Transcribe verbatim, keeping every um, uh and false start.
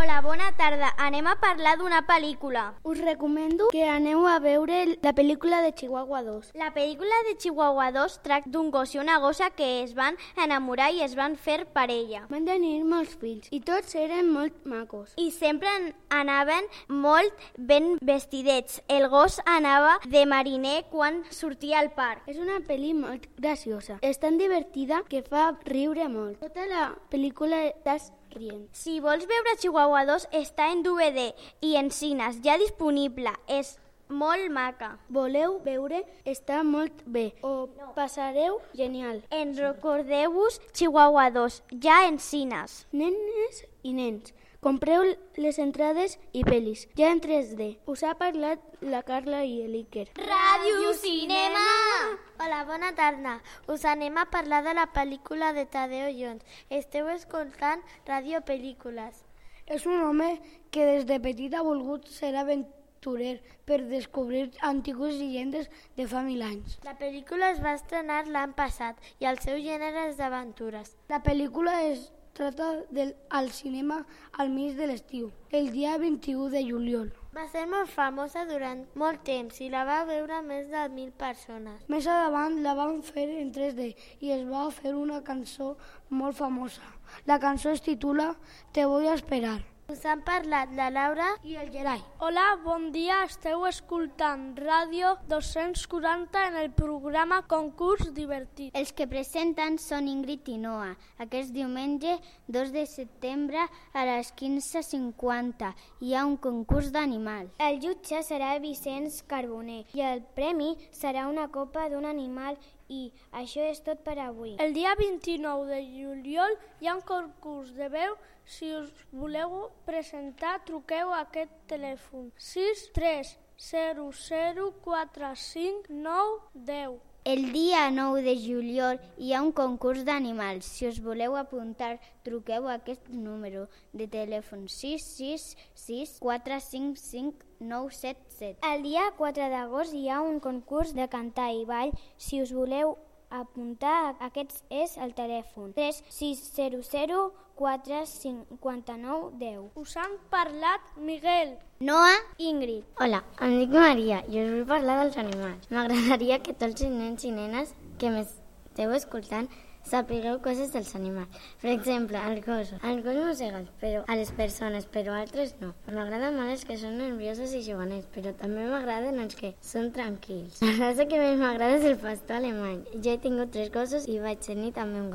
Hola, bona tarda. Anem a parlar d'una pel·lícula. Us recomano que aneu a veure la pel·lícula de Chihuahua dos. La pel·lícula de Chihuahua dos tracta d'un gos i una gossa que es van enamorar i es van fer parella. Van tenir molts fills i tots eren molt macos. I sempre anaven molt ben vestidets. El gos anava de mariner quan sortia al parc. És una pel·li molt graciosa. És tan divertida que fa riure molt. Tota la pel·lícula estàs rient. Si vols veure Chihuahua dos, està en D V D i en cines, ja disponible. És molt maca. Voleu veure? Està molt bé. O no. Passareu genial. En recordeu-vos Chihuahua dos, ja en cines. Nenes i nens, compreu les entrades i pel·lis, ja en tres D. Us ha parlat la Carla i l'Iker. Ràdio Cinema! Hola, bona tarda. Us anem a parlar de la pel·lícula de Tadeo Jones. Esteu escoltant Ràdio Pel·lícules. És un home que des de petit ha volgut ser aventurer per descobrir antigues llegendes de fa mil anys. La pel·lícula es va estrenar l'any passat i el seu gènere és d'aventures. La pel·lícula es trata del, al cinema al mig de l'estiu, el dia vint-i-u de juliol. Va ser molt famosa durant molt temps i la va veure més de mil persones. Més endavant la van fer en tres D i es va fer una cançó molt famosa. La cançó es titula Te voy a esperar. Us han parlat la Laura i el Gerai. Hola, bon dia. Esteu escoltant Ràdio dos-cents quaranta en el programa Concurs Divertit. Els que presenten són Ingrid i Noa. Aquest diumenge, dos de setembre, a les quinze cinquanta, hi ha un concurs d'animals. El jutge serà Vicenç Carboner i el premi serà una copa d'un animal. I això és tot per avui. El dia vint-i-nou de juliol hi ha un concurs de veu. Si us voleu presentar, truqueu a aquest telèfon sis tres zero zero quatre cinc nou deu. El dia nou de juliol hi ha un concurs d'animals. Si us voleu apuntar, truqueu a aquest número de telèfon sis sis sis quatre cinc cinc nou set set. El dia quatre d'agost hi ha un concurs de cantar i ball. Si us voleu apuntar, aquest és el telèfon tres sis zero zero quatre cinquanta nou deu. Us han parlat Miguel, Noa, Ingrid. Hola, em dic Maria i us vull parlar dels animals. M'agradaria que tots els nens i nenes que m'esteu escoltant sapigueu coses dels animals. Per exemple, els gossos. Els gossos mosseguen, però a les persones, però altres no. M'agraden molt els que són nerviosos i juganers, però també m'agraden els que són tranquils. La raça que més m'agrada és el pastor alemany. Jo he tingut tres gossos i vaig tenir també un gat.